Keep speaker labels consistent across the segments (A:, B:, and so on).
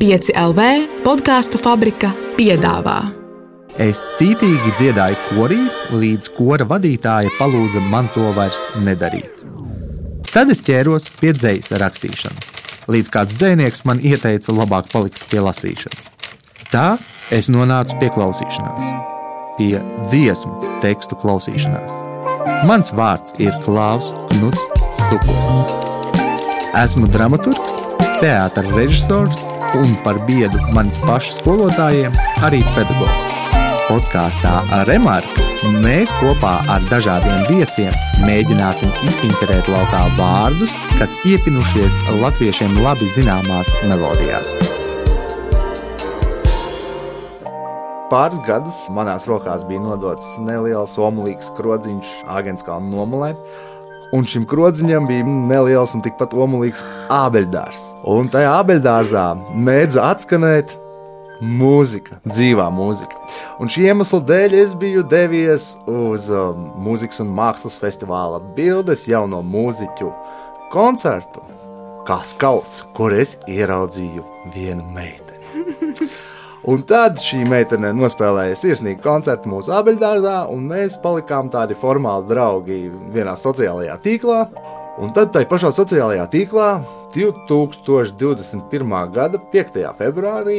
A: 5LV podcastu fabrika piedāvā.
B: Es cītīgi dziedāju korī, līdz kora vadītāja palūdza man to vairs nedarīt. Tad es ķēros pie dzejas rakstīšanas, līdz kāds dzejnieks man ieteica labāk palikt pie lasīšanas. Tā es nonācu pie klausīšanās, pie dziesmu tekstu klausīšanās. Mans vārds ir Klaus Knuts Sukuls. Esmu dramaturgs, teātra režisors un par biedu manis pašu skolotājiem arī pedagogs. Podkāstā Remarka mēs kopā ar dažādiem viesiem mēģināsim izpinterēt laukā vārdus, kas iepinušies latviešiem labi zināmās melodijās. Pāris gadus manās rokās bija nodots neliels omulīgs krodziņš Āgenskalna nomalē, un šim krodziņam bija neliels un tikpat omulīgs ābeļdārs. Un tajā ābeļdārzā mēdza atskanēt mūzika, dzīvā mūzika. Un šī iemesla dēļ es biju devies uz mūzikas un mākslas festivāla Bildes jauno mūziķu koncertu kā skauts, kur es ieraudzīju vienu meiteni. Un tad šī meitene nospēlēja sirsnīgu koncertu mūsu ābeļdārzā, un mēs palikām tādi formāli draugi vienā sociālajā tīklā. Un tad tai pašā sociālajā tīklā 2021. gada 5. februārī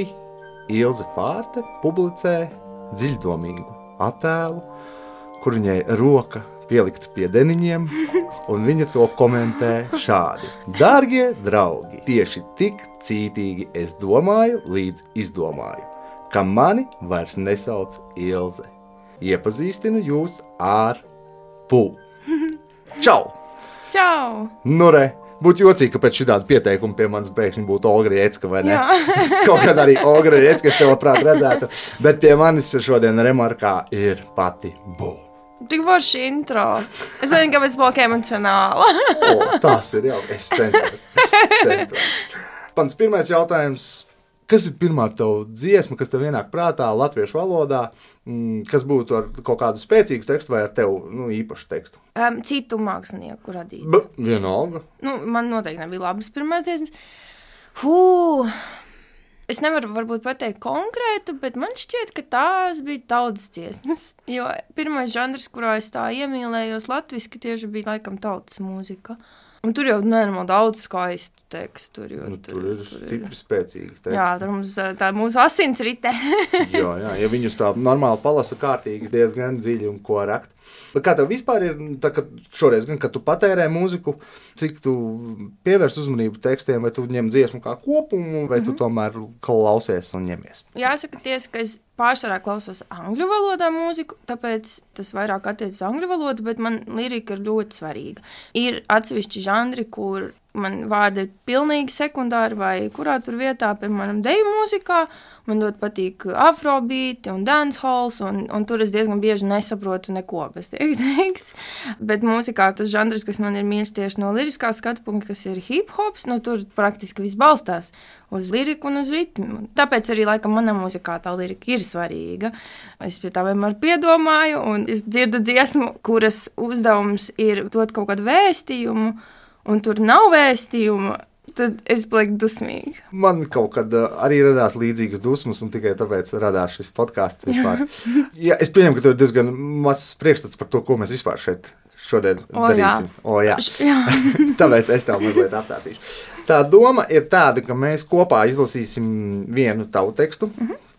B: Ilze Fārte publicē dziļdomīgu attēlu, kur viņai roka pielikta pie deniņiem, un viņa to komentē šādi. Dārgie draugi, tieši tik cītīgi es domāju, līdz izdomāju, ka mani vairs nesauc Ilze. Iepazīstinu jūs ar Pū. Čau!
C: Čau!
B: Nu re, būtu jocīgi, ka pēc šitāda pieteikuma pie manas bēkšņi būtu Olga Riecka, vai ne?
C: Jā.
B: Kaut kad arī Olga Riecka es tev labprāt redzētu, bet pie manis šodien Remarkā ir pati Bū.
C: Tik forši intro. Es nezinu, kāpēc palika emocionāla.
B: Tas ir jau, es centos. Pants pirmais jautājums. Kas ir pirmā tava dziesma, kas tev ienāk prātā latviešu valodā, kas būtu ar kaut kādu spēcīgu tekstu vai ar tev īpašu tekstu?
C: Citu mākslinieku radītu.
B: Vienalga.
C: Man noteikti nebija labas pirmās dziesmas. Es nevaru varbūt pateikt konkrētu, bet man šķiet, ka tās bija tautas dziesmas. Jo pirmais žanrs, kurā es tā iemīlējos latviski, tieši bija laikam tautas mūzika. Un tur jau nenormāli daudz skaistu tekstu.
B: Tur ir stipri spēcīgi teksti.
C: Jā, tur tā mūsu asins rite.
B: jā, ja viņus tā normāli palasa kārtīgi, diezgan dziļi un ko rakt. Bet kā tev vispār ir, tā, kad šoreiz gan, kad tu patērē mūziku, cik tu pievērs uzmanību tekstiem, vai tu ņem dziesmu kā kopumu, vai tu tomēr klausies un ņemies?
C: Jāsaka tiesa, ka es pārsvarā klausos angļu valodā mūziku, tāpēc tas vairāk attiec uz angļu valodu, bet man lirika ir ļoti svarīga. Ir atsevišķi žanri, kur man vārdi ir pilnīgi sekundāri vai kurā tur vietā, piemēram, deju mūzikā. Man ļoti patīk afrobeati un dancehalls, un tur es diezgan bieži nesaprotu neko, kas tiek teikts. Bet mūzikā tas žanrs, kas man ir mīļš tieši no liriskā skatu punkta, kas ir hip-hops, tur praktiski viss balstās uz liriku un uz ritmu. Tāpēc arī, laikam, manā mūzikā tā lirika ir svarīga. Es pie tā vienmēr piedomāju, un es dzirdu dziesmu, kuras uzdevums ir dot kaut kādu vēstījumu, un tur nav vēstījumu, tad es palieku dusmīgi.
B: Man kaut kad arī radās līdzīgas dusmas, un tikai tāpēc radās šis podcasts vispār. Jā, es pieņemu, ka tur ir diezgan mazs priekšstats par to, ko mēs vispār šeit šodien darīsim. Jā. Tāpēc es tev mazliet apstāstīšu. Tā doma ir tāda, ka mēs kopā izlasīsim vienu tavu tekstu,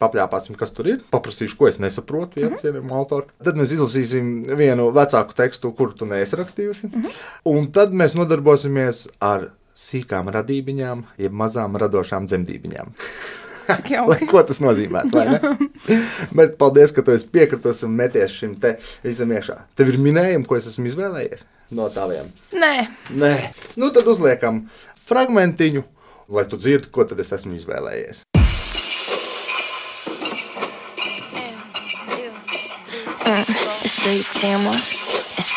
B: papļāpāsim, kas tur ir, paprasīšu, ko es nesaprotu, cienījumu autoru. Tad mēs izlasīsim vienu vecāku tekstu, kuru tu neesi rakstījusi, un tad mēs nodarbosimies ar sīkām radībiņām, jeb mazām radošām dzemdībiņām. Ko tas nozīmē, vai ne? Bet paldies, ka tu esi piekritus un meties šim te visam iekšā. Tev ir minējumi, ko es esmu izvēlējies no taviem?
C: Nē.
B: Tad uzliekam fragmentiņu, lai tu dzirdi, ko tad es esmu izvēlējies.
D: Es eju ciemos, es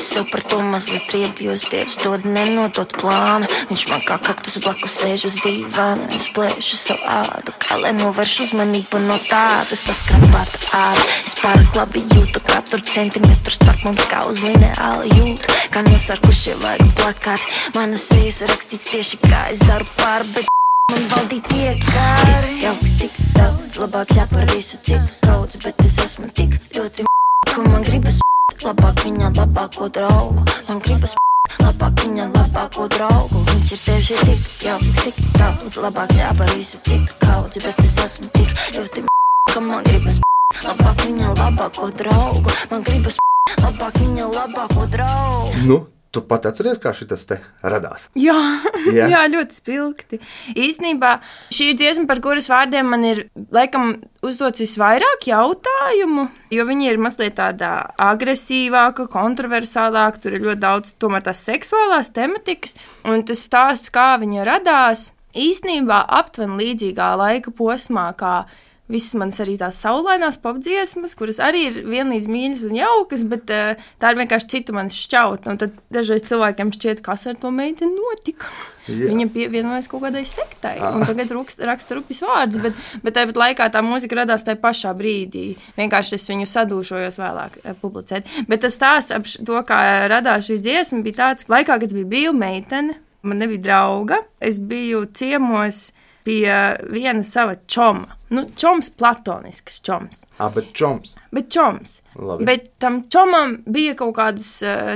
D: sev par to mazliet riebjos, Dievs dod nenodot plānu. Viņš man kā kaktus blakus sēž uz dīvāna, es plēšu savu ādu, kā lai novērš uzmanību no tāda saskrapāta āda. Es pārāk labi jūtu katru centimetru starp mums, kā uz lineāli jūtu, kā nosarkušie vaigu plakāti. Manas sejas rakstīts tieši kā es daru pāri, bet Man valdīt iekāri. Tik jauks, tik daudz, labāk jāpar visu citu kaudz, bet es esmu tik ļoti ka man gribas labāk viņa labāko draugu. Man gribas labāk viņa labāko draugu. Viņš ir tieši tik jauks, tik daudz, labāk jāpar visu citu kaudz, bet es esmu tik ļoti ka man gribas labāk viņa labāko draugu. Man gribas labāk viņa labāko draugu.
B: Nu, tu pat atceries, kā šitas te radās?
C: Jā, jā, ļoti spilgti. Īstenībā šī dziesma, par kuras vārdiem man ir, laikam, uzdots visvairāk jautājumu, jo viņi ir mazliet tāda agresīvāka, kontroversālāka, tur ir ļoti daudz tomēr tās seksuālās tematikas, un tas stāsts, kā viņa radās, īstenībā aptuveni līdzīgā laika posmā, kā visas manas arī tās saulainās popdziesmas, kuras arī ir vienlīdz mīļas un jaukas, bet tā ir vienkārši cita manas šķautne. Un tad dažreiz cilvēkiem šķiet, kas ar to meiteni notika. Jā. Viņa pievienojas kaut kādai sektai, un tagad raksta rupjas vārdus, bet tāpat laikā tā mūzika radās tajā pašā brīdī. Vienkārši es viņu sadūšojos vēlāk publicēt. Bet tas stāsts ap to, kā radās šī dziesma, bija tāds, laikā, kad es biju brīva meitene, man nebija drauga, es biju ciemos pie viena sava čoma. Nu, čoms platonisks čoms.
B: Bet čoms.
C: Bet čoms.
B: Labi.
C: Bet tam čomam bija kaut kādas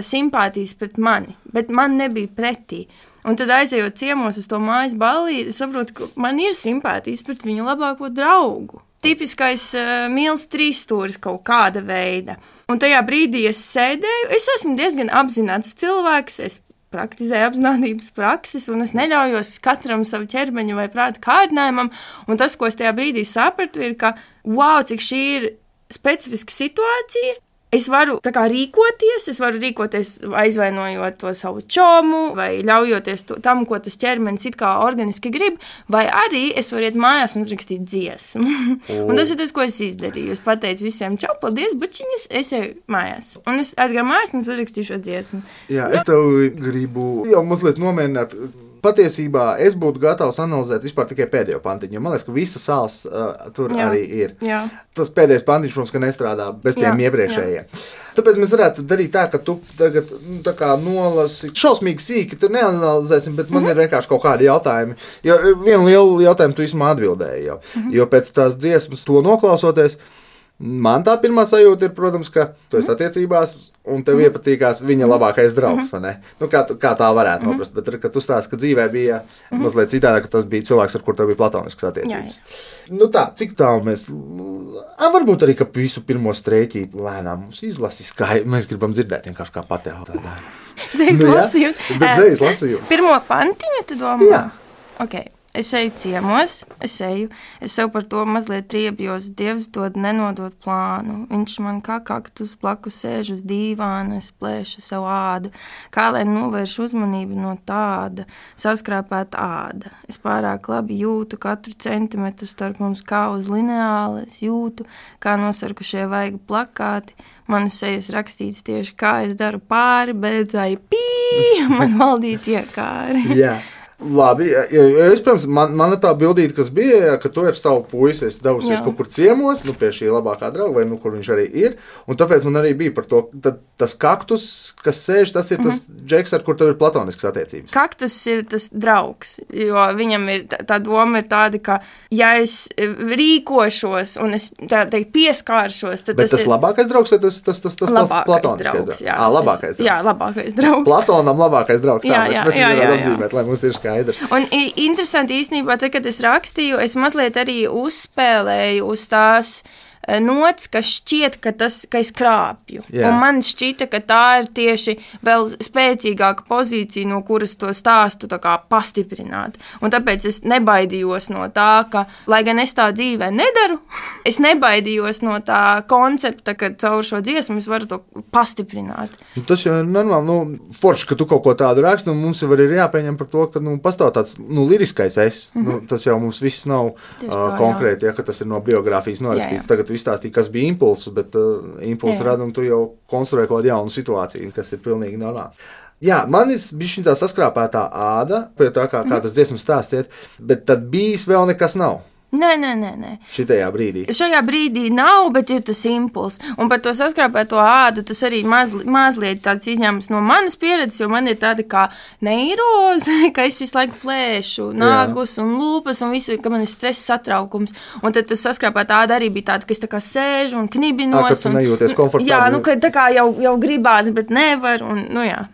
C: simpātijas pret mani, bet man nebija pretī. Un tad aizejot ciemos uz to mājas ballīti, es saprotu, ka man ir simpātijas pret viņu labāko draugu. Tipiskais mīls trīsstūris kaut kāda veida. Un tajā brīdī es sēdēju, es esmu diezgan apzināts cilvēks, es praktizēju apzinātības prakses, un es neļaujos katram savu ķermeņa vai prāta kārdinājumam, un tas, ko es tajā brīdī sapratu, ir, ka, wow, cik šī ir specifiska situācija, es varu tā kā rīkoties aizvainojot to savu čomu, vai ļaujoties tam, ko tas ķermenis it kā organiski grib, vai arī es varu iet mājās un uzrakstīt dziesmu. Un tas ir tas, ko es izdarīju. Es pateicu visiem, čau, paldies, bučiņas, es eju mājās. Un es aizgāju mājās un uzrakstīju šo dziesmu.
B: Jā, es tev gribu jau mazliet nomierināt. Patiesībā es būtu gatavs analizēt vispār tikai pēdējo pantiņu, jo man liekas, ka visa sāls tur arī ir.
C: Jā.
B: Tas pēdējais pantiņš, protams, ka nestrādā bez tiem iepriekšējiem. Tāpēc mēs varētu darīt tā, ka tu tagad tā kā nolasi šausmīgi sīki, tur neanalizēsim, bet man ir vienkārši kaut kādi jautājumi. Jo vienu lielu jautājumu tu vismaz atbildēji jau, jo pēc tās dziesmas to noklausoties, man tā pirmā sajūta ir, protams, ka tu esi attiecībās un tev iepatīkās viņa labākais draugs, vai ne? Nu, kā tā varētu noprast, bet kad tu stāsti, ka dzīvē bija mazliet citādi, ka tas bija cilvēks, ar kur tev bija platoniskas attiecības. Jā. Nu tā, cik tālu mēs... varbūt arī, ka visu pirmo strēķīti lēnām mums izlasis, kā mēs gribam dzirdēt vienkārši kā patēl tādā.
C: Dzējas lasījums.
B: Bet dzējas lasījums.
C: Pirmo pantiņu tu domā?
B: Jā.
C: Ok. Es eju ciemos, es sev par to mazliet riebjos, Dievs dod nenodot plānu. Viņš man kā kaktus blakus sēž uz dīvāna, es plēšu savu ādu. Kā lai novērš uzmanību no tāda, saskrāpēta āda. Es pārāk labi jūtu katru centimetru starp mums kā uz lineāli, es jūtu, kā nosarkušie vaigu plakāti. Manu sejas rakstīts tieši kā es daru pāri, beidzāju man valdīt iekāri.
B: Jā. Labi, es, protams, man tā bildīte, kas bija, ka tu ar savu puisi esi devusies kaut kur ciemos, nu, pie šī labākā drauga, vai kur viņš arī ir, un tāpēc man arī bija par to, tas kaktus, kas sēž, tas ir tas džeks, ar kur tev ir platoniskas attiecības.
C: Kaktus ir tas draugs, jo viņam ir, tā doma ir tāda, ka ja es rīkošos un es tā teikt pieskāršos, tad
B: bet tas ir labākais draugs, vai tas platoniskais draugs?
C: Jā,
B: labākais draugs.
C: Jā, labākais draugs.
B: Platonam labākais draugs, tā mēs varētu apzīmēt, lai mums ir skaidrs.
C: Un interesanti īstenībā, tad, kad es rakstīju, es mazliet arī uzspēlēju uz tās nots, ka šķiet, ka es krāpju. Jā. Un man šķita, ka tā ir tieši vēl spēcīgāka pozīcija, no kuras to stāstu tā kā pastiprināt. Un tāpēc es nebaidījos no tā, ka, lai gan es tā dzīvē nedaru, es nebaidījos no tā koncepta, ka caur šo dziesmu es varu to pastiprināt.
B: Tas jau ir normāli, forši, ka tu kaut ko tādu raksti, un mums jau ir jāpieņem par to, ka, pastāv tāds, liriskais es. Tas jau mums viss nav konkrēti, ka tas ir no biogrāfijas norakstīts. Tagad izstāstīja, kas bija impulss, bet impulss rada, un tu jau konstruē kaut jaunu situāciju, kas ir pilnīgi normāli. Jā, man ir bišķiņ tā saskrāpētā āda, pie tā kā tas dziesmas stāsts iet, bet tad bijis vēl nekas nav.
C: Nē.
B: Šitajā brīdī?
C: Šajā brīdī nav, bet ir tas impuls. Un par to saskrāpēto ādu tas arī mazliet tāds izņēmums no manas pieredzes, jo man ir tāda kā neiroze, ka es visu laiku plēšu nagus un lūpas un visu, ka man ir stress satraukums. Un tad tas saskrāpētā āda arī bija tāda, ka es tā kā sēžu un knibinos.
B: Ka tu nejūties komfortabli.
C: Jā, ka tā kā jau gribās, bet nevar. Un, jā.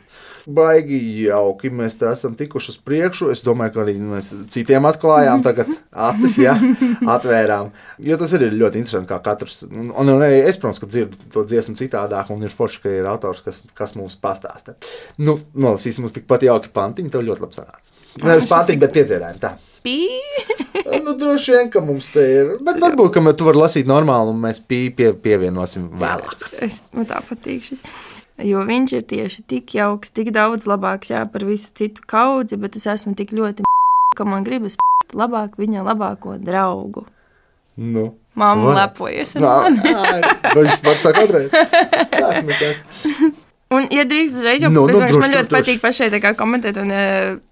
B: Baigi jauki, mēs tā esam tikuši uz priekšu. Es domāju, ka arī mēs citiem atklājām tagad acis, atvērām. Jo tas ir ļoti interesanti, kā katrs. Un es, protams, ka dzirdu to dziesmu citādāk, un ir forši, ka ir autors, kas mums pastāsta. Nolasīsim mums tikpat jauki pantiņi, tev ļoti labi sanāca. Nevis pantiņi, bet piedzērājumi, tā. Droši vien, ka mums te ir. Bet varbūt, ka tu vari lasīt normāli, un mēs pievienosim vēlāk.
C: Man tā patīk šis. Jo viņš ir tieši tik jauks, tik daudz labāks par visu citu kaudzi, bet es esmu tik ļoti ka man gribas labāk viņa labāko draugu. Mamma lepojas ar mani.
B: Viņš pats saka atreiz. Tas nekas.
C: Un, ja drīkst uzreiz, jo man ļoti patīk pašai tā kā komentēt un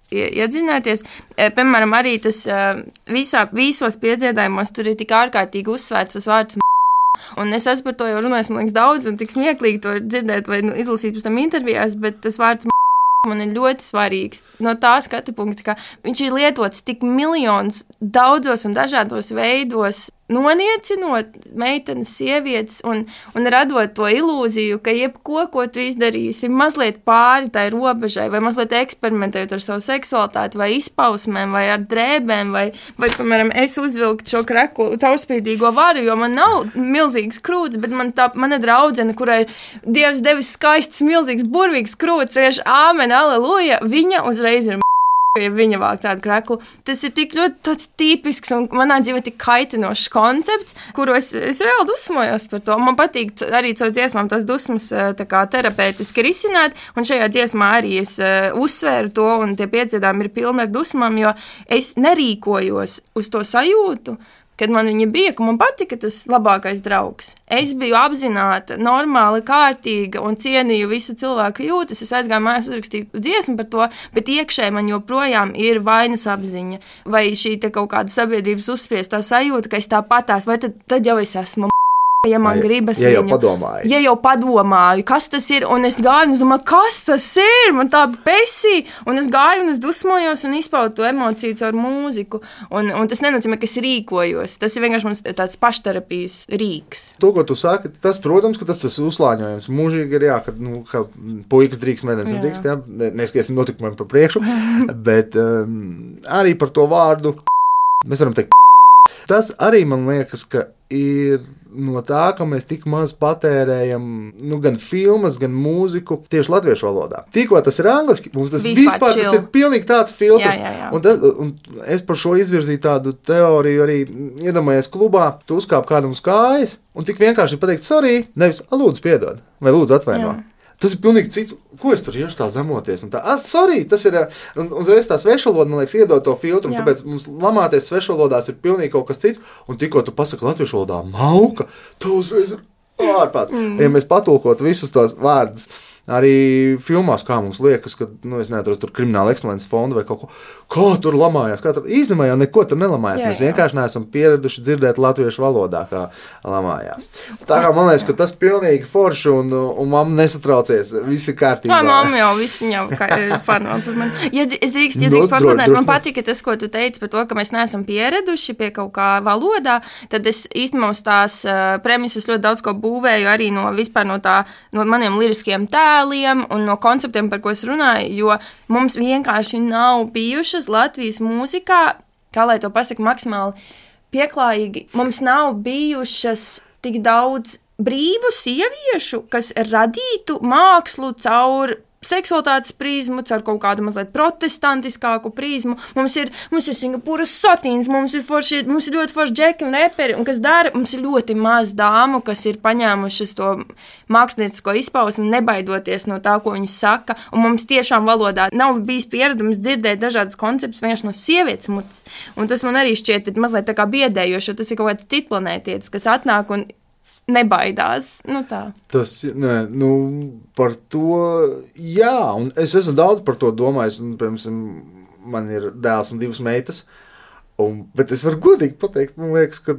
C: iedzināties. Piemēram, arī tas visos piedziedājumos tur ir tik ārkārtīgi uzsvērts tas vārds un es esmu par to jau runājis, man liekas, daudz, un tik smieklīgi to dzirdēt vai izlasīt pēc tam intervijās, bet tas vārds man ir ļoti svarīgs no tā skatu punkta, ka viņš ir lietots tik miljonus daudzos un dažādos veidos, noniecinot meitenes, sievietes un radot to ilūziju, ka jebko, ko tu izdarīsi, ir mazliet pāri tai robežai vai mazliet eksperimentējot ar savu seksualitāti vai izpausmēm vai ar drēbēm vai piemēram, es uzvilku šo kreklu caurspīdīgo varu, jo man nav milzīgs krūts, bet mana draudzene, kurai Dievs devis skaists, milzīgs, burvīgs krūts, vienkārši āmen, aleluja, viņa uzreiz ir ja viņa vāk tādu kreklu. Tas ir tik ļoti tāds tipisks un manā dzīvē tik kaitinošs koncepts, kuru es reāli dusmojos par to. Man patīk arī caur dziesmām tās dusmas tā kā terapeitiski risināt, un šajā dziesmā arī es uzsvēru to, un tie piedziedājumi ir pilni ar dusmām, jo es nerīkojos uz to sajūtu, kad man viņa bija, ka man patika tas labākais draugs. Es biju apzināta, normāli, kārtīga un cienīju visu cilvēku jūtas. Es aizgāju mājās, uzrakstīju dziesmu par to, bet iekšēji man joprojām ir vainas apziņa. Vai šī te kaut kāda sabiedrības uzspiestā sajūta, ka es tāpatās, vai tad jau es esmu ja man gribas viņu. Ja jau padomāju, kas tas ir, un es gāju, un es domāju, kas tas ir, man tā besī, un es gāju, un es dusmojos, un izpaudu to emociju caur mūziku, un tas nenozīmē, ka es rīkojos, tas ir vienkārši mums tāds pašterapijas rīks.
B: To, ko tu saki, tas, protams, ka tas uzslāņojums mūžīgi ir, ka puikas drīkst, meitenes drīkst, neskaies notikumiem par priekšu, bet arī par to vārdu mēs varam teikt. Tas arī man liekas, ka ir no tā, ka mēs tik maz patērējam gan filmas, gan mūziku tieši latviešu valodā. Tikko tas ir angliski, mums tas vispār tas ir pilnīgi tāds filtrs.
C: Jā.
B: Un es par šo izvirzīju tādu teoriju arī iedomājies klubā, tu uzkāp kādam uz kājas un tik vienkārši pateikt sorry, nevis lūdzu piedod vai lūdzu atvaino. Tas ir pilnīgi cits, ko es tur iešu tā zemoties. Un tā, sorry, tas ir, un uzreiz tā svešvaloda, man liekas, iedod to filtru, un tāpēc mums lamāties svešvalodās ir pilnīgi kaut kas cits, un tikko tu pasaki latviešu valodā mauka, tu uzreiz ir ārpāds. Ja mēs patulkotu visus tos vārdus, arī filmās, kā mums liekas, ka, es neatrodu tur krimināla ekscelences fondu vai kaut ko, kā tur lamājās, īstenībā jau neko tur nelamājās, mēs vienkārši neesam pieraduši dzirdēt latviešu valodā, kā lamājās. Tā kā man liekas, ka tas pilnīgi forši un mamma nesatraucies, viss ir kārtībā.
C: Tā mamma jau visu jau fano par mani. Ja es drīkst papildināt, man patika tas, ko tu teici par to, ka mēs neesam pieraduši pie kaut kā valodā, tad es īstenībā uz tās premises ļoti daudz ko būvēju arī no maniem liriskiem tēliem un no konceptiem, par ko es runāju, jo mums vienkārši nav bijušas Latvijas mūzikā, kā lai to pasaka maksimāli pieklājīgi, mums nav bijušas tik daudz brīvu sieviešu, kas radītu mākslu caur seksualitātes prizmu, caur kaut kādu mazliet protestantiskāku prizmu. Mums ir Singapūras satīns, mums ir ļoti forši džeki un reperi, un kas dara, mums ir ļoti maz dāmu, kas ir paņēmušas to māksliniecisko izpausmi, nebaidoties no tā, ko viņas saka, un mums tiešām valodā nav bijis pieredums dzirdēt dažādas konceptus vienkārši no sievietes mutes, un tas man arī šķiet mazliet tā kā biedējoši, jo tas ir kaut kāds citplanētietis, kas atnāk un nebaidās, tā.
B: Tas, par to, jā, un es esmu daudz par to domājis, un, piemēram, man ir dēls un 2 meitas, Bet es varu godīgi pateikt, man liekas, ka,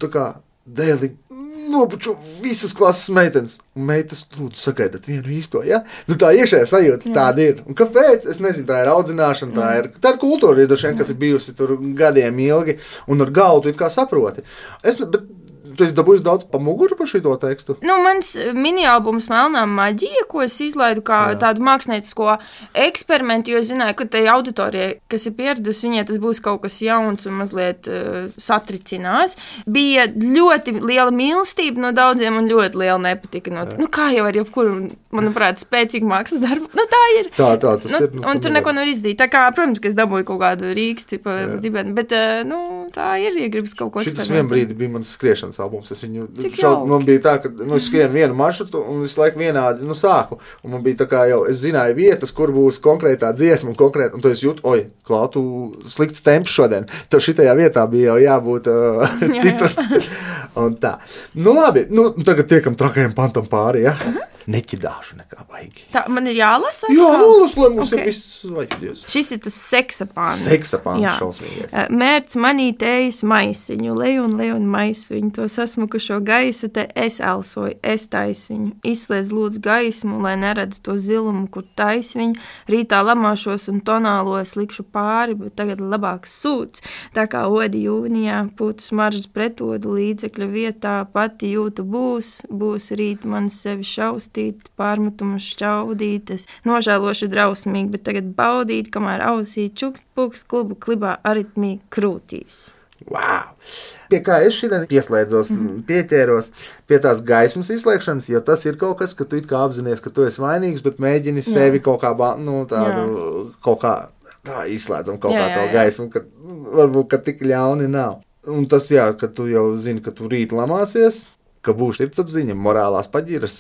B: tā kā dēliņi nobučo visas klases meitenes. Un meitas, lūdzu, sagaidat vienu īsto, ja? Tā iekšējā sajūta tāda ir. Un kāpēc? Es nezinu, tā ir audzināšana, tā ir kultūra, kas ir bijusi tur gadiem ilgi, un ar galdu it kā saproti. Bet tu esi dabūjis daudz pa muguru par šito tekstu?
C: Mans mini-albums Melnā maģija, ko es izlaidu kā tādu māksliniecisko eksperimentu, jo es zināju, ka tai auditorijai, kas ir pieradusi, viņai tas būs kaut kas jauns un mazliet satricinās. Bija ļoti liela mīlestība no daudziem un ļoti liela nepatika no kā jau ar jebkuru, manuprāt, spēcīgu mākslas darbu. Tā ir.
B: Tā tas ir.
C: Un tur neko nevar izdarīt. Tā kā, protams, ka es dabūju kaut kādu rīksti pa dibeni, bet, tā ir, ja gribas kaut ko eksperimentēt.
B: Šitas vien brīdi bija mans skriešanas albums. Es viņu man bija tā, ka es skrienu vienu maršrutu un visu laiku vienādi sāku. Un man bija tā kā jau, es zināju vietas, kur būs konkrētā dziesma un to es jūtu, Klau, tu slikts temps šodien. Tev šitajā vietā bija jau jābūt citur. Un tā. Labi, tagad tiekam trakajam pantam pāri, ja? Neķidāšu nekā baigi.
C: Tā, man ir jālasa?
B: Jā, nolasa, lai mums ir viss vajag.
C: Šis ir tas seksapāns.
B: Seksapāns šausmīgais.
C: Mērķis manītējas maisiņu, leju un maisviņu, to sasmukušo gaisu, te es elsoju, es taisviņu. Izslēdz lūdzu gaismu, lai neredzu to zilumu, kur taisviņu. Rītā lamāšos un tonālojas likšu pāri, bet tagad labāks sūds. Tā kā odi jūnijā, pūtu smaržas pretodu līdzekļu vietā, pati jūtu būs rīt man sevi šaust. Pārmetumus šķaudītas, nožēlošu drausmīgi, bet tagad baudīt, kamēr ausī čukst pukst klubu klibā aritmī krūtīs.
B: Wow! Pie kā es šodien pieslēdzos, pieķēros pie tās gaismas izslēgšanas, jo tas ir kaut kas, ka tu it kā apzinies, ka tu esi vainīgs, bet mēģini sevi kaut kā, kaut kā tā izslēdzam kaut kā to gaismu, ka varbūt, ka tik ļauni nav. Un tas, ka tu jau zini, ka tu rīt lamāsies, ka būs sirdsapziņa, morālās paģiras,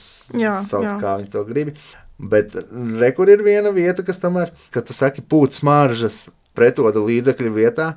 B: sauc, kā viņi to gribi. Bet rekur ir viena vieta, kas tomēr, kad tu saki pūt smaržas pretoda līdzekļu vietā,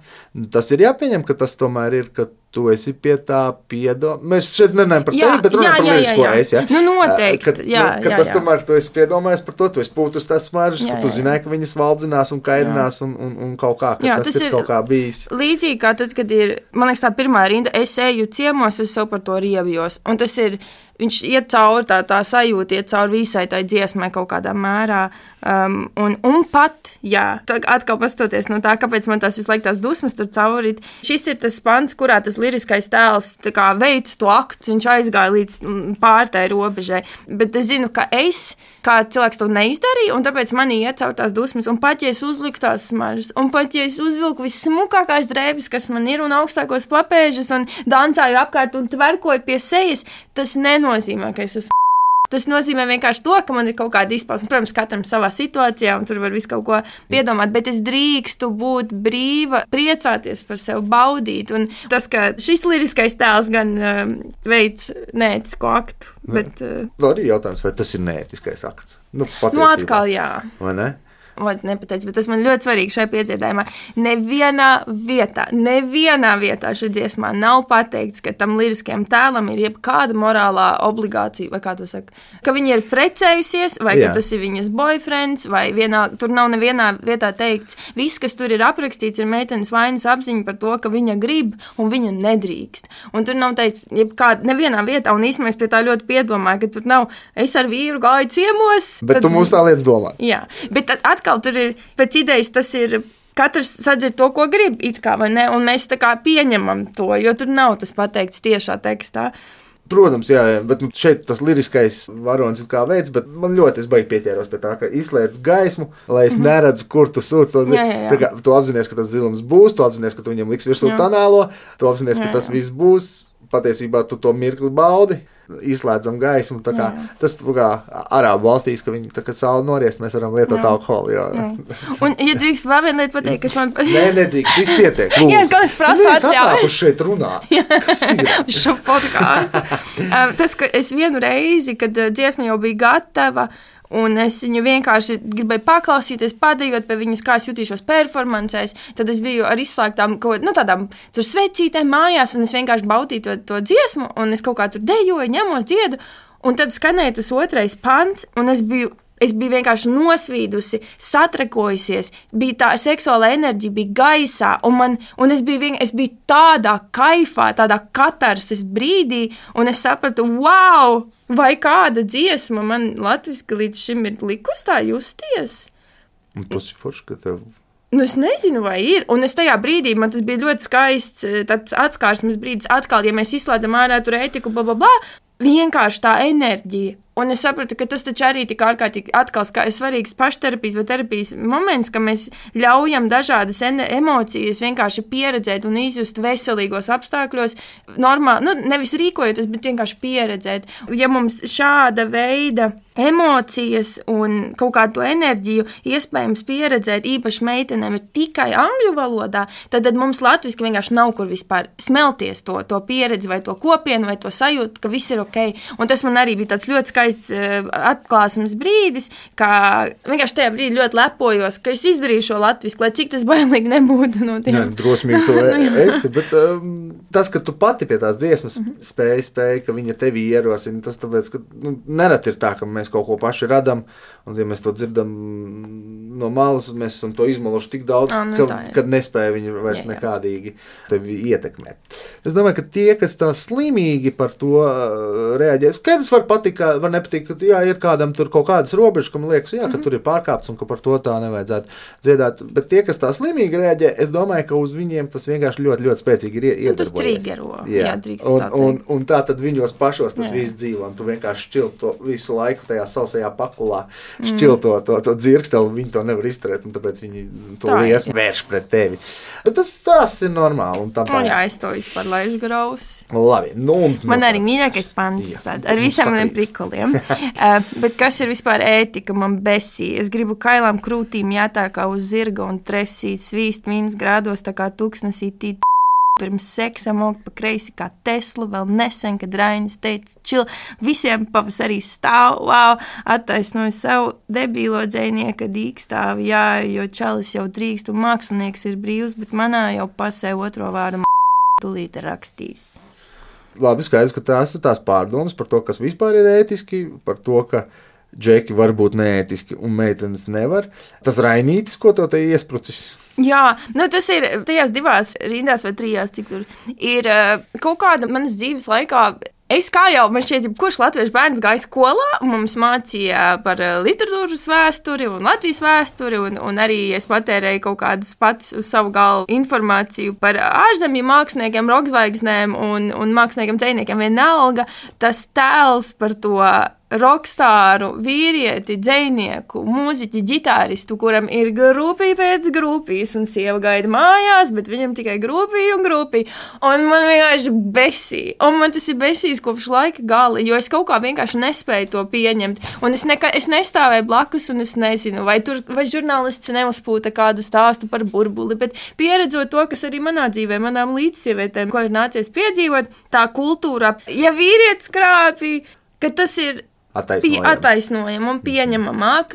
B: tas ir jāpieņem, ka tas tomēr ir, ka tu esi pie tā Mēs šeit nerunājam par tevi, bet runājam par lielisko es, ja?
C: Noteikti,
B: ka tas tomēr tu esi piedomājies par to, tu esi pūtus tās smaržas, ka tu zināji, ka viņas valdzinās un kairinās un kaut kā, ka tas ir kaut kā bijis.
C: Līdzīgi kā tad, kad ir, man liekas, tā pirmā rinda, es eju ciemos, es sev par to riebjos, un tas ir, viņš iet cauri tā sajūta, iet cauri visai tai dziesmai kaut kādā mērā, un pat, atkal pastoties no tā, kāpēc man tās visu laiku tās dusmas tur cauri. Šis ir tas pants, kurā tas liriskais tēls veids to aktu, viņš aizgāja līdz pārtai robežai, bet es zinu, ka es, kā cilvēks to neizdarīja, un tāpēc manī iet cauri tās dusmas, un pat, ja es uzliku tās smaržas, un pat, ja es uzvilku vissmukākās drēbes, kas man ir, un augstākos papēžus, un dancāju apkārt, un tverkoju pie sejas, tas nenozīmē, ka es esmu. Tas nozīmē vienkārši to, ka man ir kaut kāda izpausme. Protams, katram savā situācijā, un tur var visu kaut ko piedomāt, bet es drīkstu būt brīva, priecāties par sevi, baudīt. Un tas, ka šis liriskais tēls gan veids neētisko aktu, bet...
B: Arī jautājums, vai tas ir neētiskais akts?
C: Atkal jā.
B: Vai ne?
C: Nepateicu, bet tas man ļoti svarīgi šajā piedziedājumā. Nevienā vietā šī dziesmā nav pateikts, ka tam liriskajam tēlam ir jebkāda morālā obligācija, vai kā to saka, ka viņa ir precējusies, vai ka tas ir viņas boyfriends, vai tur nav nevienā vietā teikts. Viss, kas tur ir aprakstīts, ir meitenes vainas apziņa par to, ka viņa grib un viņa nedrīkst. Un tur nav teikts nevienā vietā, un īstenībā es pie tā ļoti piedomāju, ka tur nav, es ar vīru gāju ciemos.
B: Bet tu mums tā lietas domā.
C: Jā, bet atkal tur ir, pēc idejas tas ir, katrs sadzird to, ko grib, it kā, vai ne, un mēs tā kā pieņemam to, jo tur nav tas pateikts tiešā tekstā.
B: Protams, jā, bet šeit tas liriskais varonis ir kā veids, bet man ļoti es baigi pieķēros pie tā, ka izslēdz gaismu, lai es neredzu, kur tu sūc to zilums. Tā kā tu apzinies, ka tas zilums būs, tu apzinies, ka tu viņam liks virsū tonālo, tu apzinies, ka tas viss būs, patiesībā tu to mirkli baudi. Izslēdzam gaismu, tā kā tas kā Arābu valstīs, ka viņi tā kā sauli noriest, mēs varam lietot alkoholu,
C: Un, ja drīkst vēl viena lieta pateikt, kas man...
B: Nedrīkst, viss pietiek, lūdzu.
C: Jā, es galvenais prasu atļauju.
B: Mēs atnākuši šeit runāt. Kas ir?
C: Šo podkāstu. Tas, ka es vienu reizi, kad dziesma jau bija gatava, un es viņu vienkārši gribēju paklausīties, padējot pie viņas, kā es jutīšos performancēs, tad es biju ar izslēgtām tādām tur svecītēm mājās, un es vienkārši baudīju to dziesmu, un es kaut kā tur dejoju, ņemos dziedu, un tad skanēja tas otrais pants, un es biju Es biju vienkārši nosvīdusi, satrakojusies, bija tā seksuāla enerģija, bija gaisā, un es biju tādā kaifā, tādā katarsis brīdī, un es sapratu, wow, vai kāda dziesma man latviski līdz šim ir likus tā justies?
B: Un tas ir forši, ka tev...
C: Nu, es nezinu, vai ir. Un es tajā brīdī, man tas bija ļoti skaists, tāds atskārsmes brīdis, atkal, ja mēs izslēdzam ārā tur ētiku, blablabla, vienkārši tā enerģija. Un es sapratu, ka tas taču arī tik ārkārtīgi atkal svarīgs pašterapijas vai terapijas moments, ka mēs ļaujam dažādas emocijas vienkārši pieredzēt un izjust veselīgos apstākļos, normāli, nevis rīkojoties, bet vienkārši pieredzēt. Ja mums šāda veida emocijas un kaut kādu enerģiju iespējams pieredzēt, īpaši meitenēm, ir tikai angļu valodā, tad mums latviski vienkārši nav kur vispār smelties to pieredzi vai to kopienu vai to sajūtu, ka viss ir ok. Un tas man arī bija tāds ļoti skaists atklāsmes brīdis, ka vienkārši tajā brīdī ļoti lepojos, ka es izdarīju šo latvisku, lai cik tas bailīgi nebūtu no tiem.
B: Jā, drosmīgi to esi, bet tas, ka tu pati pie tās dziesmas spēji, ka viņa tevi ierosina, tas tāpēc, ka nerad ir tā, ka mēs kaut ko paši radam, un ja mēs to dzirdam no malas, mēs esam to izmaluši tik daudz, kad nespēja viņi vairs nekādīgi tevi ietekmēt. Es domāju, ka tie, kas tā slimīgi par to reaģē, skaidrs var patikt, var nepatīk, ka jā, ir kādam tur kaut kādas robežas, ka man liekas, jā, ka tur ir pārkāpts un ka par to tā nevajadzētu dziedāt. Bet tie, kas tā slimīgi reaģē, es domāju, ka uz viņiem tas vienkārši ļoti, ļoti spēcīgi ir iedarbojies.
C: Tas trigero. Jā,
B: un tā tad viņos pašos tas viss dzīvo, un tu vienkārši šķil to visu laiku tajā sausajā pakulā, šķil to dzirksteli, viņi to nevar izturēt, un tāpēc viņi to liesmu vērš pret tevi. Bet tas ir normāli.
C: Jā, es to vispār laižu graus.
B: Labi.
C: Man arī mīļākais pants, ar visiem maniem prikoliem. Bet kas ir vispār ētika, man besī? Es gribu kailām krūtīm jātā kā uz zirga un tresīt svīst mīnus grādos, tā kā tuksnesī pirms seksa mokt pa kreisi kā Tesla, vēl nesen, kad Rainis teica, čil, visiem pavasarī stāv, wow, attaisnoju savu debīlo dzejnieka dīkstāvi, jā, jo čalis jau drīkst un mākslinieks ir brīvs, bet manā jau pasē otro vārdu tulīt rakstīs.
B: Labi, skaidrs, ka tās ir tās pārdomas par to, kas vispār ir ētiski, par to, ka džeki var būt neētiski un meitenes nevar. Tas Rainītis, ko to te iesprucis?
C: Jā, tas ir tajās 2 rindās vai 3, cik tur ir kaut kāda manas dzīves laikā. Es kā jau, man šķiet, kurš latviešu bērns gāja skolā, mums mācīja par literatūras vēsturi un Latvijas vēsturi, un arī es patērēju kaut kādus pats uz savu galvu informāciju par ārzemju māksliniekiem, rockzvaigznēm un māksliniekiem, dzejniekiem vienalga. Tas tēls par to rokstāru, vīrieti, dzejnieku, mūziķi, ģitāristu, kuram ir grupī pēc grupīs, un sieva gaida mājās, bet viņam tikai grupī un grupī. Un man vienkārši besī. Un man tas ir besīs kopš laika gala, jo es kaut kā vienkārši nespēju to pieņemt. Un es nestāvēju blakus, un es nezinu, vai žurnālists neuzpūta kādu stāstu par burbuli, bet pieredzot to, kas arī manā dzīvē, manām līdzsievietēm, ko ir nācies piedzīvot, tā kultūra, ja vīrietis krāpī, ka tas ir attaisnojam un pieņemamāk,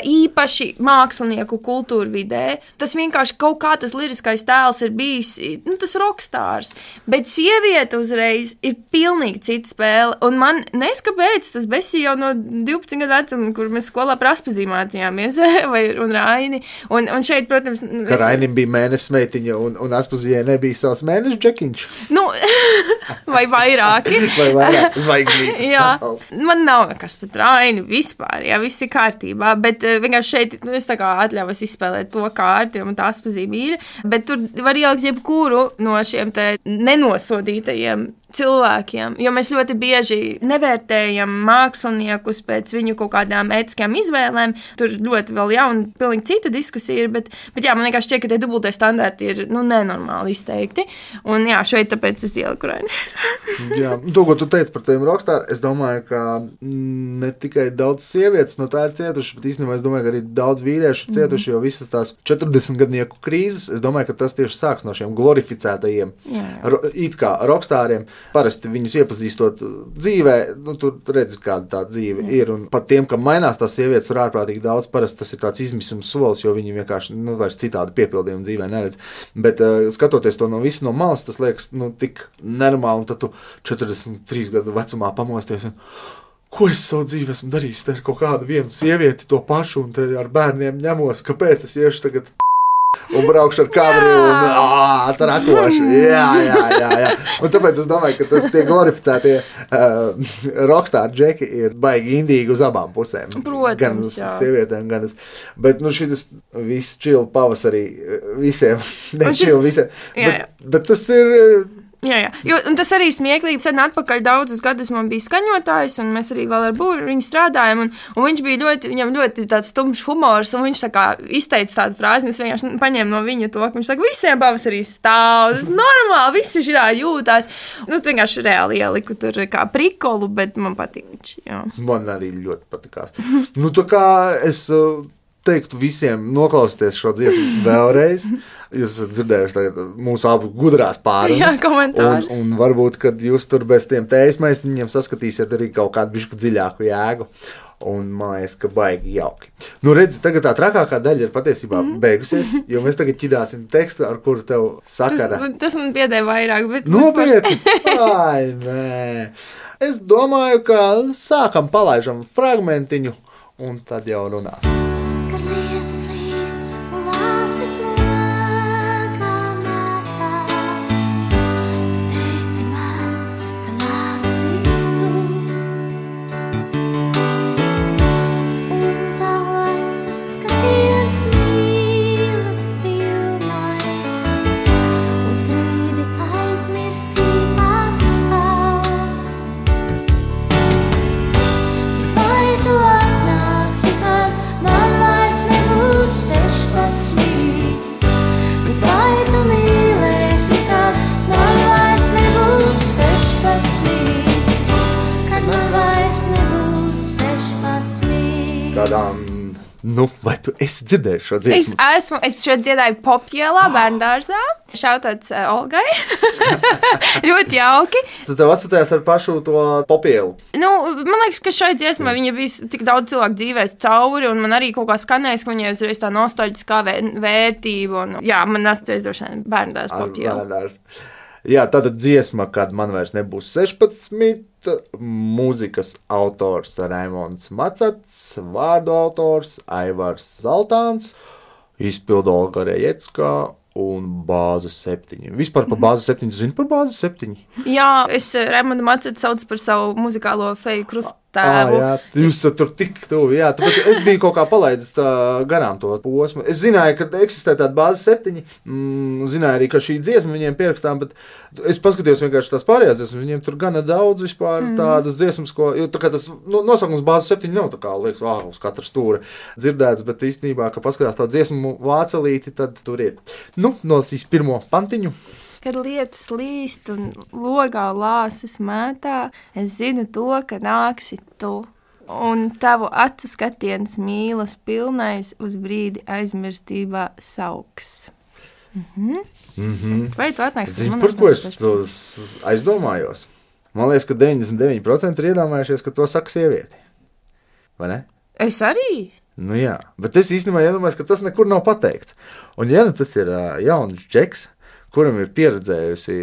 C: īpaši mākslinieku kultūra vidē. Tas vienkārši kaut kā tas liriskais tēls ir bijis, tas rokstārs. Bet sieviete uzreiz ir pilnīgi cita spēle. Un man neskapēc tas besī jau no 12 gadu vecuma, kur mēs skolā par Aspazī mācījāmies, un Raini. Un šeit, protams...
B: Ka Rainim bija mēnesis meitiņa un Aspazijai nebija savs mēnesis džekiņš.
C: Vai vairāki.
B: Vai vairāk zvaigznītes.
C: Jā, man nav nekas pat Raini vispār, jā, viss ir kārtībā, bet vienkārši šeit es tā kā atļaujos izspēlēt to kārti, jo man tā Aspazī mīļa, bet tur var ielikt jebkuru no šiem te nenosodītajiem cilvēkiem, jo mēs ļoti bieži nevērtējam māksliniekus pēc viņu kaut kādām ētiskām izvēlēm. Tur ļoti vēl jauna, pilnīgi cita diskusija ir, bet jā, man vienkārši šķiet, ka tie dubultie standarti ir, nenormāli izteikti. Un jā, šeit tāpēc es ieliku Raini.
B: Jā, to, ko tu teici par tiem rockstāru, es domāju, ka ne tikai daudz sievietes no tā ir cietuši, bet īstenībā es domāju, ka arī daudz vīriešu cietuši, jo visas tās 40-gadnieku krīzes, es domāju, ka tas tieši sāks no šiem glorificētajiem, it kā rockstāriem. Parasti viņus iepazīstot dzīvē, tur redzi, kāda tā dzīve ir, un pat tiem, kam mainās tās sievietes, ir ārprātīgi daudz, parasti tas ir tāds izmisums solis, jo viņi vienkārši, vairs citādi piepildījumu dzīvē neredz. Bet skatoties to no malas, tas liekas, tik nenormāli, un tad tu 43 gadu vecumā pamosties, un ko es savu dzīvi esmu darījis, te ar kaut kādu vienu sievieti to pašu, un te ar bērniem ņemos, kāpēc es iešu tagad un braukšu ar kabriju un trakošu. Jā. Un tāpēc es domāju, ka tie glorificētie rockstar džeki ir baigi indīgi uz abām pusēm.
C: Protams,
B: gan uz sievietēm, gan uz... Bet, šis viss chill pavasarī visiem, visiem. Bet tas ir...
C: Jā. Un tas arī smieklīgi. Sen atpakaļ daudzus gadus man bija skaņotājs, un mēs arī vēl ar viņu strādājam. Un viņš bija viņam ļoti tāds tumšs humors, un viņš tā kā izteica tādu frāzi, un es vienkārši paņēmu no viņa to, ka viņš saka, visiem pavasarī stāv, tas normāli, visi šitā jūtās. Vienkārši reāli ieliku tur kā prikolu, bet man patīk viņš, jā.
B: Man arī ļoti patikās. Tā kā es... teiktu visiem noklausieties šo dziesmu vēlreiz. Jūs esat dzirdējuši mūsu abu gudrās pārunas.
C: Jā, komentāri.
B: Un varbūt, kad jūs tur bez tiem tējas maisiņiem saskatīsiet arī kaut kādu bišķu dziļāku jēgu. Un man liekas, ka baigi jauki. Redzi, tagad tā trakākā daļa ir patiesībā beigusies, jo mēs tagad ķidāsim tekstu, ar kuru tev sakara.
C: Tas man piedēja vairāk, bet...
B: Nopietni! Ai, nē. Es domāju, ka sākam palaižam fragmentiņu, un tad jau runās.
D: Kad lietus līst un vāsis lēkā mērā, tu teici man, ka nāksi tu. Un tavu acu skatiens mīlas pilnais, uz brīdi aizmirstībās sauks. Bet vai tu atnāksi, kad man vairs nebūs 16? Bet vai tu mīlēsi, kad man vairs nebūs 16? Kad man vairs nebūs 16?
B: Kādām, vai tu esi dzirdējis šo dziesmu?
C: Es šo dziedāju Popjēlā, bērndārzā. Šautāts Olgai. Ļoti jauki.
B: Tu tev asociējies ar pašu to Popjēlu?
C: Man liekas, ka šai dziesmai viņa bija tik daudz cilvēku dzīvēs cauri, un man arī kaut kā skanēs, ka viņai uzreiz tā nostalģiskā vērtība. Un, jā, man asociējas droši vien bērndārs Popjēla.
B: Jā, tātad dziesma, kad man vairs nebūs 16, mūzikas autors Raimonds Macats, vārdu autors Aivars Zaltāns, izpildu Olga Rejecka un Bāzes 7. Vispār par Bāzes 7, tu zini par Bāzes 7?
C: Jā, es Raimondu Macatu saucu par savu muzikālo feju krusttēvu.
B: Jā, jūs tur tik tuvi, jā, tāpēc es biju kaut kā palaidis garām to posmu. Es zināju, ka eksistē tāda Bāzes 7, zināju arī, ka šī dziesma viņiem pierakstām, bet es paskatījos vienkārši tās pārējās dziesmas, viņiem tur gana daudz vispār tādas dziesmas, jo tā kā tas nosaukums Bāzes 7 nav tā kā, liekas, uz katra stūra dzirdēts, bet īstenībā, ka paskatās tā dziesmu vācelīti, tad tur ir. Nolasīs pirmo pantiņu.
C: Kad lietas līst un logā lāses mētā, es zinu to, ka nāksi tu. Un tavu acu skatiens mīlas pilnais uz brīdi aizmirstībā sauks. Vai tu atnāksi?
B: Zini, par ko es aizdomājos? Man liekas, ka 99% ir iedomājušies, ka to saka sievieti. Vai ne?
C: Es arī?
B: Jā, bet es īstenībā iedomājos, ka tas nekur nav pateikts. Un tas ir jauns džeks, kuram ir pieredzējusi,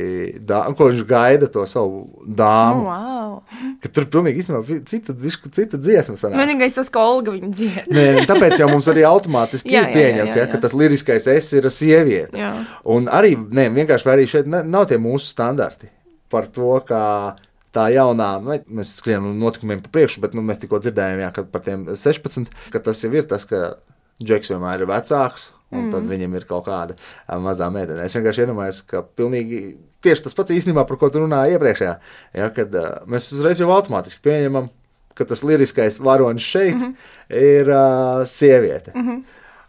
B: ko viņš gaida to savu dāmu.
C: Wow.
B: Ka tur pilnīgi īstenībā cita dziesma sanāk.
C: Vienīgais tas, ka Olga viņu dzied.
B: Nē, tāpēc jau mums arī automātiski ir pieņemts, ka tas liriskais es ir sieviete.
C: Jā.
B: Un arī, vienkārši arī šeit nav tie mūsu standarti par to, ka tā jaunā, mēs skrienam notikumiem pa priekšu, bet mēs tikko dzirdējām, ka par tiem 16, ka tas jau ir tas, ka džeks vienmēr ir vecāks, un tad viņam ir kaut kāda mazā meitene. Es vienkārši iedomājos, ka pilnīgi tieši tas pats īstenībā, par ko tu runāji iepriekšējā, kad mēs uzreiz jau automātiski pieņemam, ka tas liriskais varonis šeit ir sieviete.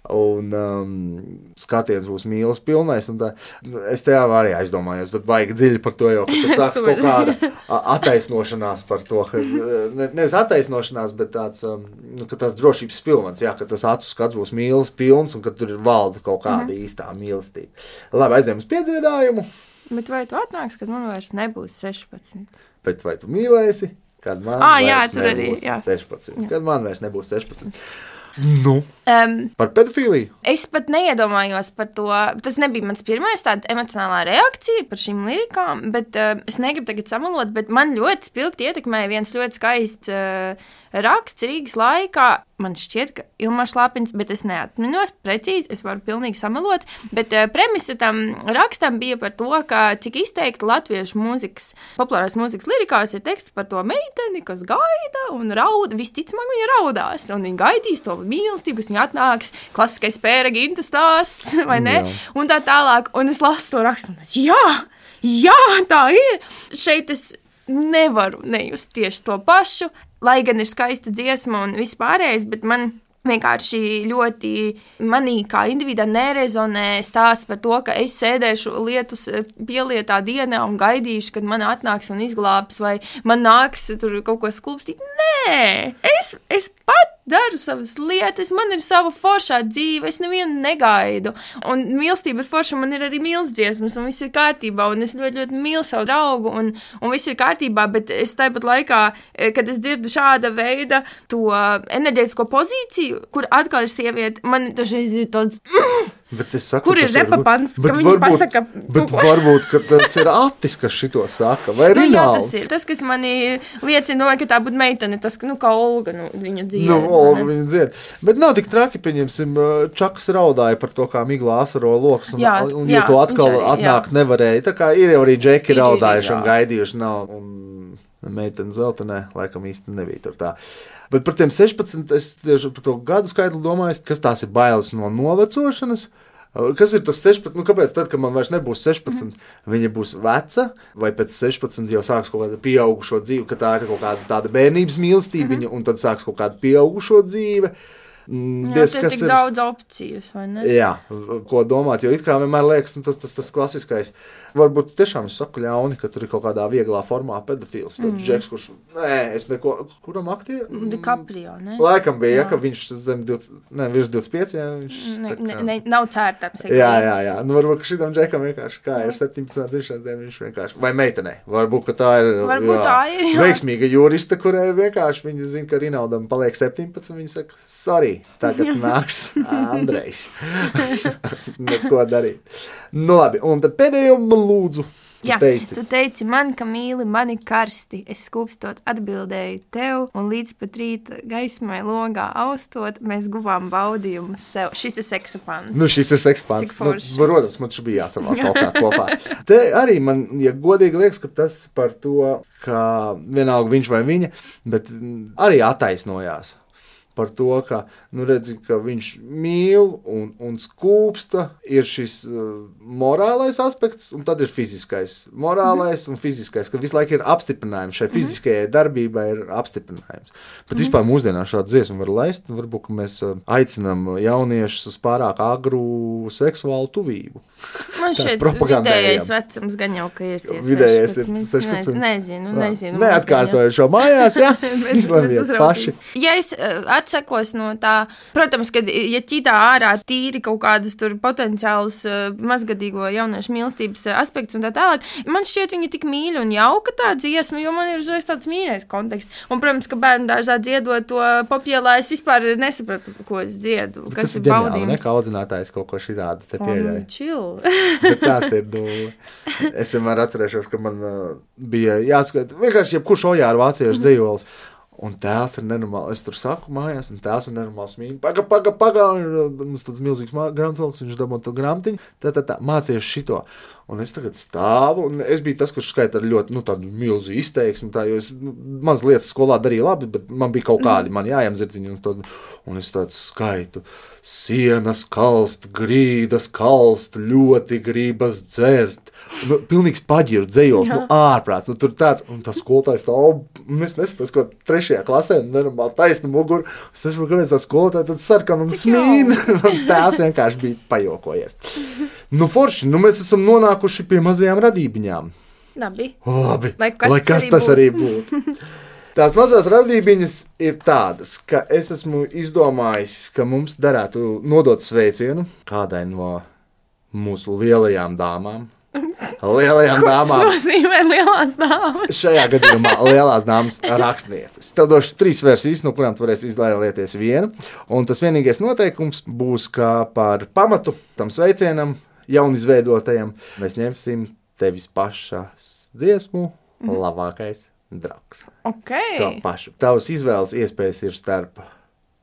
B: Un skatiens būs mīlas pilnais, un tā, es te jau arī aizdomājos, bet baigi dziļi par to jau, ka tur sāks kaut kāda attaisnošanās par to, ka, nevis attaisnošanās, bet tāds, ka tāds drošības pilvens, ka tas atu skats būs mīlas pilns, un ka tur ir valda kaut kāda īstā mīlestība. Labi, aizējam uz piedziedājumu.
C: Bet vai tu atnāks, kad man vairs nebūs 16?
B: Bet vai tu mīlēsi, kad man vairs nebūs 16? Kad man vairs nebūs 16?
E: Par pedofīliju?
C: Es pat neiedomājos par to. Tas nebija mans pirmais tāda emocionālā reakcija par šīm lirikām, bet es negribu tagad samalot, bet man ļoti spilgti ietekmēja viens ļoti skaists raksts Rīgas laikā. Man šķiet, ka Ilmārs Lāpiņš, bet es neatminos precīzi, es varu pilnīgi samalot, bet premisa tam rakstam bija par to, ka cik izteikti latviešu mūzikas, populārās mūzikas lirikās ir teksts par to meiteni, kas gaida un rauda, visticamāk viņa raudās, un viņa gaidīs to mīlestību, kas viņa atnāks, klasiskais Pēra Ginta stāsts, vai ne? Jā. Un tā tālāk, un es lasu to rakstu, un jā, tā ir! Šeit es nevaru nejust tieši to pašu, lai gan ir skaista dziesma un viss pārējais, bet man vienkārši ļoti manī kā individā nerezonē stāsts par to, ka es sēdēšu lietus pielietā dienā un gaidīšu, kad man atnāks un izglābs, vai man nāks tur kaut ko skulpstīt. Nē, es pat daru savas lietas, man ir sava foršā dzīve, es nevienu negaidu. Un mīlestība ir forša, man ir arī mīlesdziesmas, un viss ir kārtībā, un es ļoti, ļoti mīlu savu draugu, un viss ir kārtībā, bet es tāpat laikā, kad es dzirdu šāda veida to enerģētisko pozīciju, kur atkal ir sieviete, man dažreiz ir tāds... Kur ir repapants, ka viņi pasaka...
E: Bet varbūt, ka tas ir Atis, kas šito saka, vai Rinalds?
C: Jā, tas ir. Tas, kas mani liecina, ka tā būtu meitene, tas, kā Olga, viņa dzied.
E: Olga viņa dzied. Bet nav tik traki, pieņemsim, Čakas raudāja par to, kā miglā asaro loks, un jo to atkal atnākt nevarēja. Tā kā ir jau arī džeki raudājuši un gaidījuši nav, un meitene Zeltenē, laikam īsti nebija tur tā. Bet par tiem 16, es tieši par to gadu skaidru domāju, kas tās ir bailes no novecošanas. Kas ir tas 16? Kāpēc tad, kad man vairs nebūs 16, viņa būs veca, vai pēc 16 jau sāks kaut kāda pieaugušo dzīve, ka tā ir kaut kāda tāda bērnības mīlestība, un tad sāks kaut kāda pieaugušo dzīve.
C: Jā, tas ir tik daudz opcijas, vai ne?
E: Jā, ko domāt, jo it kā vienmēr liekas, tas klasiskais. Varbūt tiešām es saku ļauni, ka tur ir kaut kādā vieglā formā pedofils. Tad Džeks, kurš, es neko, kuram aktīvi?
C: DiCaprio, ne?
E: Laikam bija, ka viņš virs 25, jā, viņš...
C: Nav cērtams.
E: Jā. Varbūt, ka šitam Džekam vienkārši, kā ir 17. dzimšanas diena, viņš vienkārši, vai meitenei. Varbūt, ka tā ir veiksmīga jurista, kurai vienkārši viņa zina, ka Rinaldam paliek 17, viņa saka, sorry, tagad nāks Andrejs. Neko darīt. Nu labi, un tad pēdējo lūdzu, tu
C: teici man, ka mīli mani karsti, es skūpstot atbildēju tev, un līdz pat rīta gaismai logā austot, mēs guvām baudījumus sev. Šis ir seksapants.
E: Šis ir seksapants. Protams, man taču bija jāsamā kaut kā kopā. Te arī man, ja godīgi liekas, ka tas par to, ka vienalga viņš vai viņa, bet arī attaisnojās. Par to, ka, redzi, ka viņš mīl un skūpsta, ir šis morālais aspekts, un tad ir fiziskais. Morālais un fiziskais, ka visu laiku ir apstiprinājums. Šai fiziskajai darbībai ir apstiprinājums. Bet vispār mūsdienā šādu dziesmu var laist, varbūt, ka mēs aicinām jauniešus uz pārāk agru seksuālu tuvību.
C: Man šeit vidējais vecums gan jau, ka ir tie 16.
E: Vidējais ir 16.
C: Nezinu.
E: Neatkārtoju šo mājās, jā? Izlemiet paši.
C: Ja es atsekos no tā, protams, ka ja ķitā ārā tīri kaut kādas tur potenciāls mazgadīgo jauniešu mīlestības aspekts un tā tālāk, man šķiet viņa tik mīļa un jauka tā dziesma, jo man ir uzreiz tāds mīļais konteksts. Un, protams, ka bērnu dārzā dziedot to Popielā, es vispār nesapratu, ko es dziedu.
E: Tas ir ģeniāli, ne? Kā audzinātājs kaut ko šitādu te pieļauj. Bet tās ir, es vienmēr atcerēšos, ka man bija jāskat, vienkārši jebkurš ojāru vāciešu dzējols. Un tēls ir nenormāli. Es tur saku mājās, un tēls ir nenormāli smīņi. Paga. Mums tāds milzīgs grāmatvilks, viņš dabū to grāmatiņu. Tā, mācījuši šito. Un es tagad stāvu, un es biju tas, kurš skaita ar ļoti, tādu milzu izteiksmi, jo es maz lietas skolā darīju labi, bet man bija kaut kādi, man jājamzirdziņi, un es tādu skaitu. Sienas kalst, grīdas kalst, ļoti gribas dzert. Pilnīgs paģiru dzējols, ārprāts, tur tāds, un tas skolotājs stāv, un es nesaprastu, ko 3. klasē, nenormāli taisnu muguru, es nesaprastu, kāpēc tā skolotāja tad sarkan un smīn, un tās vienkārši bija pajokojies. Forši, mēs esam nonākuši pie mazajām radībiņām.
C: Labi.
E: Lai kas tas arī būtu. Tās mazās radībiņas ir tādas, ka es esmu izdomājis, ka mums derētu nodot sveicienu kādai no mūsu lielajām dāmām. lielajām dāmām.
C: Tas nozīmē lielās dāmas.
E: Šajā gadījumā lielās dāmas rakstnieces. Tev došu 3 versijas, no kurām tu varēsi izvēlēties vienu. Un tas vienīgais noteikums būs, ka par pamatu tam sveicienam jaunizveidotajam mēs ņemsim tevis pašas dziesmu labākais draugs.
C: Okay.
E: To pašu. Tavas izvēles iespējas ir starp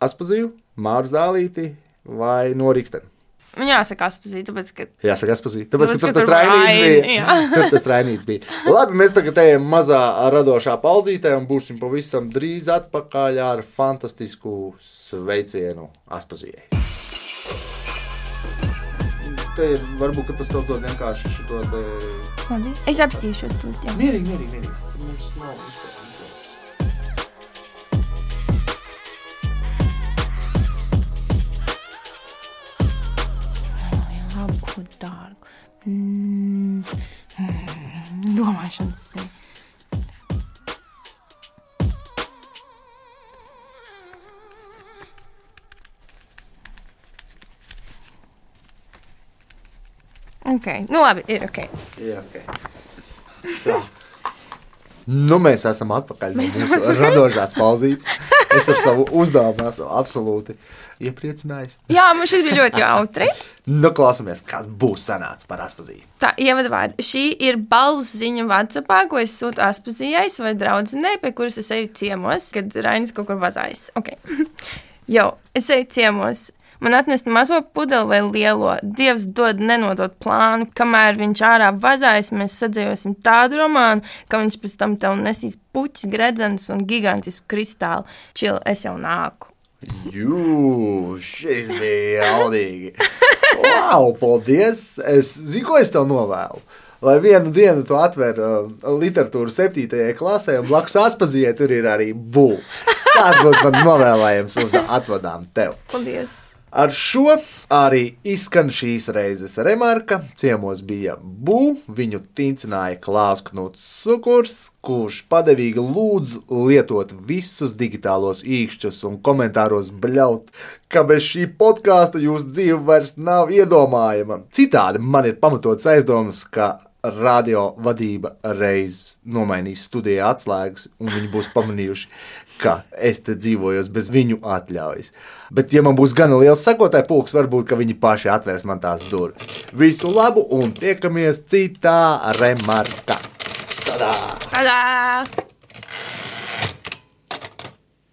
E: Aspaziju, Māru Zālīti vai Noriksteni.
C: Man jāsaka Aspazīt, tāpēc, ka...
E: Jāsaka Aspazīt, tāpēc, ka tur tas Rainīts bija. Tur tas Rainīts bija. Labi, mēs tagad ejam mazā radošā pauzītē un būsim pavisam drīz atpakaļ ar fantastisku sveicienu Aspazijai. Te varbūt, ka tas tev dod vienkārši šito te...
C: Labi, es apstīšos tur, jā.
E: Mierīgi. Mums nav izpēr.
C: Ko dārgu. Domāšanas sevi. Ok, nu labi, ir ok.
E: Jā, ok. Tā. Nu, mēs esam atpakaļ no mūsu radošās pauzītes. Es ar savu uzdevumu esmu absolūti iepriecinājis.
C: Jā, man šis bija ļoti jautri.
E: Nu, klausamies, kas būs sanācis par Aspaziju.
C: Tā, ievadvārdi. Šī ir balss ziņa WhatsAppā, ko es sūtu Aspazijai vai draudzenei, pie kuras es eju ciemos, kad Rainis kaut kur vazājas. Ok. Jo, es eju ciemos. Man atnest mazo pudeli vai lielo. Dievs dod nenodot plānu. Kamēr viņš ārā vazājas, mēs sadzējosim tādu romānu, ka viņš pēc tam tev nesīs puķis, gredzenes un gigantisku kristālu. Čil, es jau nāku.
E: Jū, šis bija jaudīgi. Wow, paldies. Es zinu, ko es tev novēlu. Lai vienu dienu tu atver literatūru 7. klasē un blakus Aspazijai tur ir arī bū. Tāds būtu man novēlējums uz atvadām tev.
C: Paldies.
E: Ar šo arī izskan šīs reizes remarka. Ciemos bija bū, viņu tincināja Klaus Knuts Sukurs, kurš padevīgi lūdz lietot visus digitālos īkšķus un komentāros bļaut, ka bez šī podkāsta jūsu dzīve vairs nav iedomājama. Citādi man ir pamatots aizdomas, ka radio vadība reiz nomainīs studijā atslēgas un viņi būs pamanījuši, ka es te dzīvojos bez viņu atļaujas. Bet, ja man būs gana liels sekotāju pulks, varbūt, ka viņi paši atvērs man tās durvis. Visu labu un tiekamies citā remarkā. Tadā!
C: Tadā!